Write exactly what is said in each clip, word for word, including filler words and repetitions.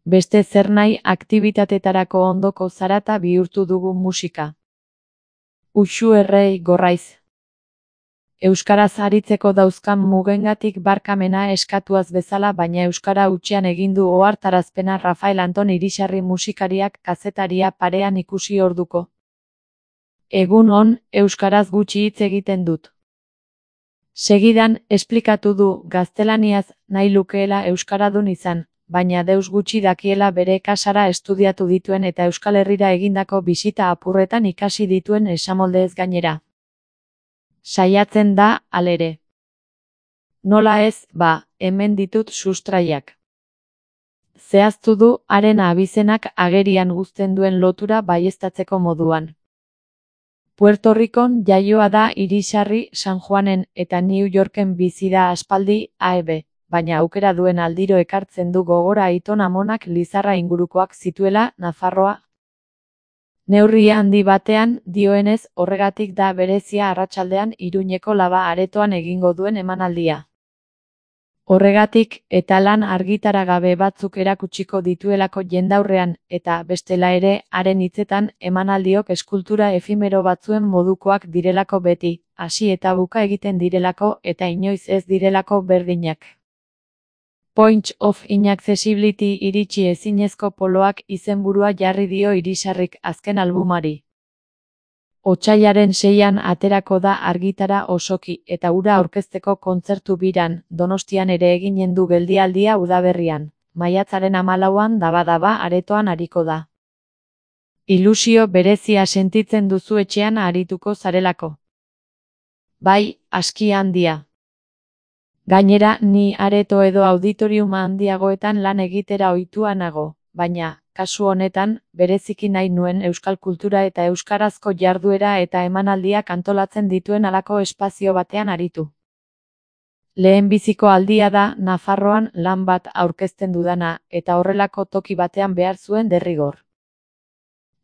Beste zer nahi aktibitatetarako ondoko zarata bihurtu dugu musika. Uxu errei gorraiz. Euskaraz aritzeko dauzkan mugengatik barkamena eskatuaz bezala, baina euskara hutsean egin du ohartarazpena Rafael Anton Irisarri musikariak kazetaria parean ikusi orduko. Egun on, euskaraz gutxi hitz egiten dut. Segidan, esplikatu du gaztelaniaz nahi lukeela euskaradun izan, baina deus gutxi dakiela bere kasara estudiatu dituen eta Euskal Herrira egindako bisita apurretan ikasi dituen esamoldeez gainera. Saiatzen da, halere. Nola ez, ba, hemen ditut sustraiak. Zehaztu du haren abizenak agerian uzten duen lotura baieztatzeko moduan. Puerto Ricon jaioa da Irisarri San Juanen eta New Yorken bizi da aspaldi A E B, baina aukera duen aldiro ekartzen du gogora aiton amonak Lizarra ingurukoak zituela Nafarroa. Neurri handi batean, dioenez, horregatik da berezia arratsaldean Iruñeko Laba aretoan egingo duen emanaldia. Horregatik, eta lan argitaragabe batzuk erakutsiko dituelako jendaurrean, eta bestela ere, haren hitzetan, emanaldiok eskultura efimero batzuen modukoak direlako beti, hasi eta buka egiten direlako eta inoiz ez direlako berdinak. Points of Inaccessibility iritsi ezinezko poloak izenburua jarri dio Irisarrik azken albumari. Otsailaren seian aterako da argitara osoki eta hura aurkezteko kontzertu biran, Donostian ere eginen du geldialdia udaberrian, maiatzaren hamalauan daba-daba aretoan ariko da. Ilusio berezia sentitzen duzu etxean arituko zarelako. Bai, aski handia. Gainera, ni areto edo auditoriuma handiagoetan lan egitera ohitua nago, baina, kasu honetan, bereziki nahi nuen euskal kultura eta euskarazko jarduera eta emanaldiak antolatzen dituen halako espazio batean aritu. Lehenbiziko aldia da Nafarroan lan bat aurkezten dudana, eta horrelako toki batean behar zuen derrigor.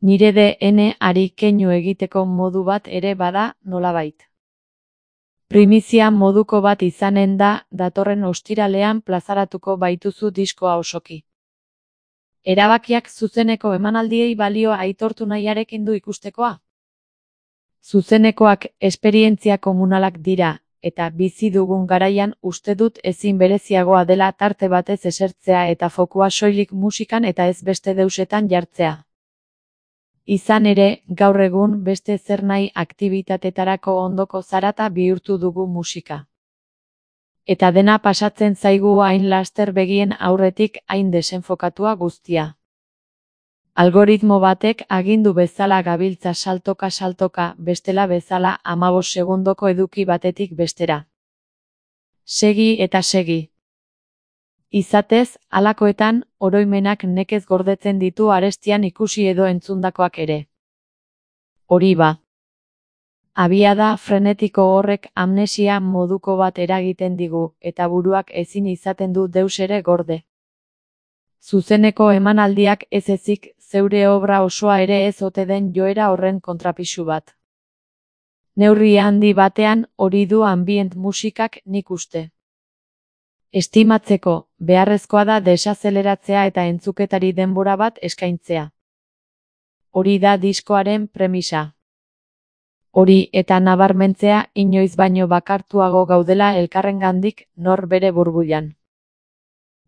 Nire D N ari keinu egiteko modu bat ere bada nolabait. Primizia moduko bat izanen da, datorren ostiralean plazaratuko baituzu diskoa osoki. Erabakiak zuzeneko emanaldiei balio aitortu nahiarekin du ikustekoa. Zuzenekoak esperientzia komunalak dira, eta bizi dugun garaian uste dut ezin bereziagoa dela tarte batez esertzea eta fokua soilik musikan eta ez beste deusetan jartzea. Izan ere, gaur egun beste zer nahi aktibitatetarako ondoko zarata bihurtu dugu musika. Eta dena pasatzen zaigu hain laster begien aurretik hain desenfokatua guztia. Algoritmo batek agindu bezala gabiltza saltoka-saltoka, bestela bezala hamabos segundoko eduki batetik bestera. Segi eta segi. Izatez, halakoetan, oroimenak nekez gordetzen ditu arestian ikusi edo entzundakoak ere. Hori ba. Abiada frenetiko horrek amnesia moduko bat eragiten digu, eta buruak ezin izaten du deus ere gorde. Zuzeneko emanaldiak ez ezik, zeure obra osoa ere ez ote den joera horren kontrapisu bat. Neurri handi batean, hori du ambient musikak nik uste. Estimatzeko, beharrezkoa da desazeleratzea eta entzuketari denbora bat eskaintzea. Hori da diskoaren premisa. Hori eta nabarmentzea inoiz baino bakartuago gaudela elkarrengandik nor bere burbuilan.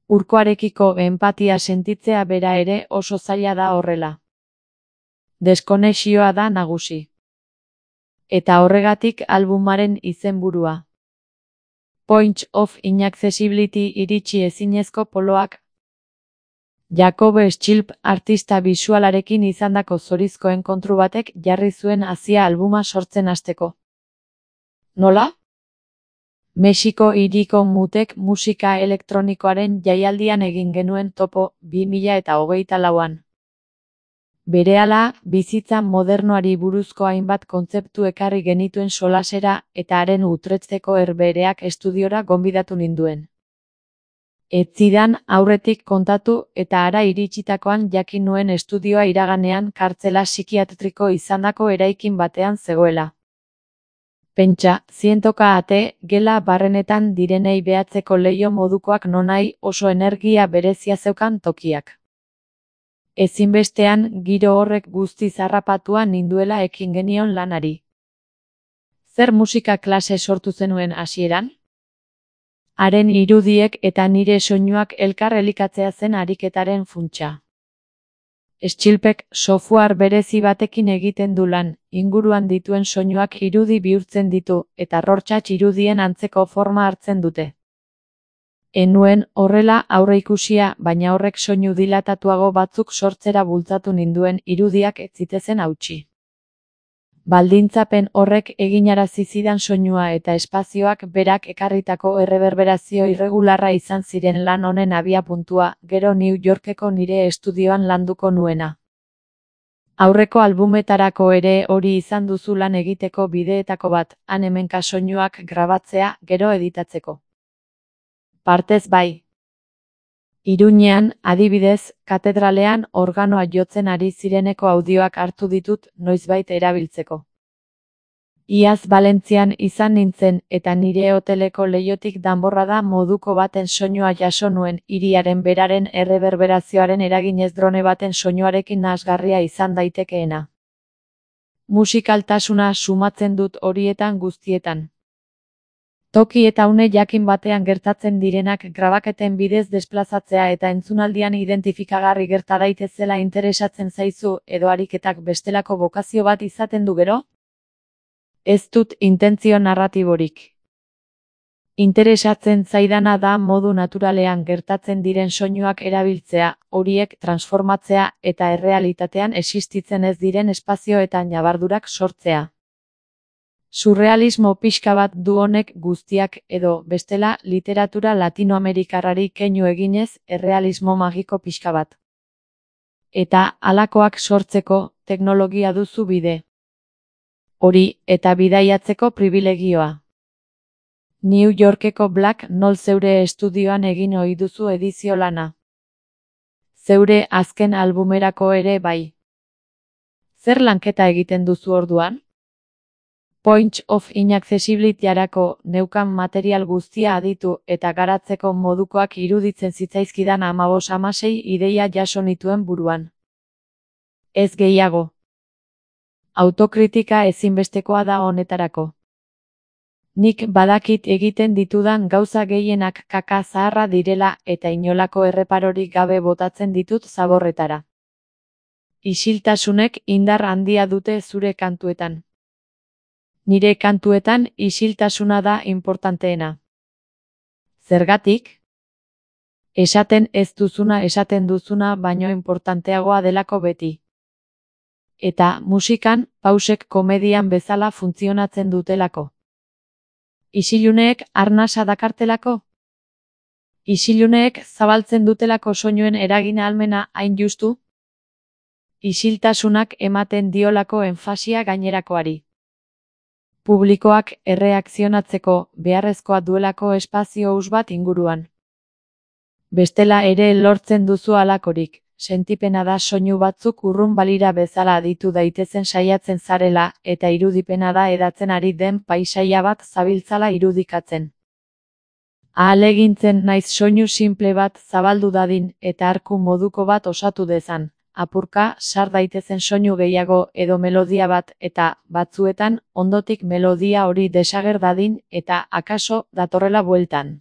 Urkoarekiko enpatia sentitzea bera ere oso zaila da horrela. Deskonexioa da nagusi. Eta horregatik albumaren izenburua. Points of Inaccessibility iritsi ezinezko poloak. Jakob Schilp artista bisualarekin izandako zorizkoen kontru batek jarri zuen hazia albuma sortzen hasteko. Nola? Mexiko hiriko mutek musika elektronikoaren jaialdian egin genuen topo bi mila hogeita lauan. Berehala, bizitza modernoari buruzko hainbat kontzeptu ekarri genituen solasera eta haren utretzeko herbereak estudiora gonbidatu ninduen. Ez zidan aurretik kontatu eta hara iritsitakoan jakin nuen estudioa iraganean kartzela psikiatriko izandako eraikin batean zegoela. Pentsa, zientoka ate, gela barrenetan direnei behatzeko leiho modukoak nonai oso energia berezia zeukan tokiak. Ezinbestean giro horrek guztiz harrapatua ninduela ekin genion lanari. Zer musika klase sortu zenuen hasieran? Haren irudiek eta nire soinuak elkar elikatzea zen ariketaren funtsa. Stillpek software berezi batekin egiten du lan, inguruan dituen soinuak irudi bihurtzen ditu, eta Rorschach irudien antzeko forma hartzen dute. Enuen horrela aurreikusia, baina horrek soinu dilatatuago batzuk sortzera bultzatu ninduen irudiak ez zitezen hautsi. Baldintzapen horrek eginarazi zidan soinua eta espazioak berak ekarritako erreberberazio irregularra izan ziren lan honen abiapuntua, gero New Yorkeko nire estudioan landuko nuena. Aurreko albumetarako ere hori izan duzu lan egiteko bideetako bat, han hemenka soinuak grabatzea, gero editatzeko. Partez bai. Iruñean, adibidez, katedralean organoa jotzen ari zireneko audioak hartu ditut noizbait erabiltzeko. Iaz Valentzian izan nintzen eta nire hoteleko leihotik danborrada moduko baten soinua jaso nuen, hiriaren beraren erreberberazioaren eraginez drone baten soinuarekin nahasgarria izan daitekeena. Musikaltasuna sumatzen dut horietan guztietan. Toki eta une jakin batean gertatzen direnak grabaketen bidez desplazatzea eta entzunaldian identifikagarri gerta daitezela interesatzen zaizu edo ariketak bestelako bokazio bat izaten du gero? Ez dut intentzio narratiborik. Interesatzen zaidana da modu naturalean gertatzen diren soinuak erabiltzea, horiek transformatzea eta errealitatean existitzen ez diren espazio eta ñabardurak sortzea. Surrealismo pixka bat du honek guztiak edo, bestela, literatura latinoamerikarrari keinu eginez, errealismo magiko pixka bat. Eta, halakoak sortzeko, teknologia duzu bide. Hori, eta bidaiatzeko pribilegioa. New Yorkeko Black Nol zeure estudioan egin ohi duzu edizio lana. Zeure azken albumerako ere bai. Zer lanketa egiten duzu orduan? Points of Inaccessibility-arako neukan material guztia aditu eta garatzeko modukoak iruditzen zitzaizkidan hamabos hamasei ideia jaso nituen buruan. Ez gehiago. Autokritika ezinbestekoa da honetarako. Nik badakit egiten ditudan gauza gehienak kaka zaharra direla eta inolako erreparorik gabe botatzen ditut zaborretara. Isiltasunek indar handia dute zure kantuetan. Nire kantuetan isiltasuna da inportanteena. Zergatik? Esaten ez duzuna esaten duzuna baino inportanteagoa delako beti. Eta musikan, pausek komedian bezala funtzionatzen dutelako. Isiluneek arnasa dakartelako? Isiluneek zabaltzen dutelako soinuen eragin ahalmena hain justu? Isiltasunak ematen diolako enfasia gainerakoari. Publikoak erreakzionatzeko beharrezkoa duelako espazio hus bat inguruan. Bestela ere lortzen duzu halakorik, sentipena da soinu batzuk urrun balira bezala aditu daitezen saiatzen zarela eta irudipena da edatzen ari den paisaia bat zabiltzala irudikatzen. Ahalegintzen naiz soinu simple bat zabaldu dadin eta arku moduko bat osatu dezan. Apurka, sar daitezen soinu gehiago edo melodia bat eta, batzuetan, ondotik melodia hori desager dadin eta, akaso, datorrela bueltan.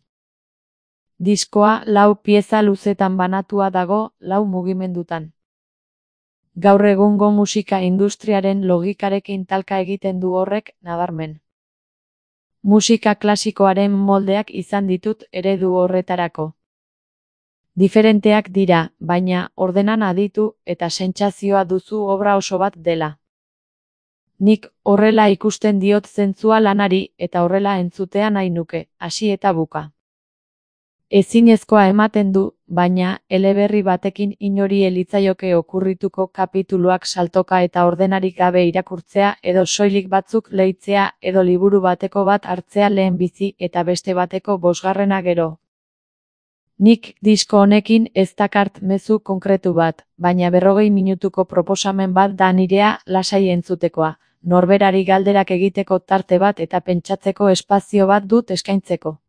Diskoa lau pieza luzetan banatua dago, lau mugimendutan. Gaur egungo musika industriaren logikarekin talka egiten du horrek, nabarmen. Musika klasikoaren moldeak izan ditut eredu horretarako. Diferenteak dira, baina ordenan aditu eta sentsazioa duzu obra oso bat dela. Nik horrela ikusten diot zentzua lanari eta horrela entzutea nahi nuke, hasi eta buka. Ezinezkoa ematen du, baina eleberri batekin inori elitzaioke okurrituko kapituluak saltoka eta ordenarik gabe irakurtzea edo soilik batzuk leitzea edo liburu bateko bat hartzea lehen bizi eta beste bateko bosgarrena gero. Nik disko honekin ez dakart mezu konkretu bat, baina berrogei minutuko proposamen bat da nirea lasai entzutekoa, norberari galderak egiteko tarte bat eta pentsatzeko espazio bat dut eskaintzeko.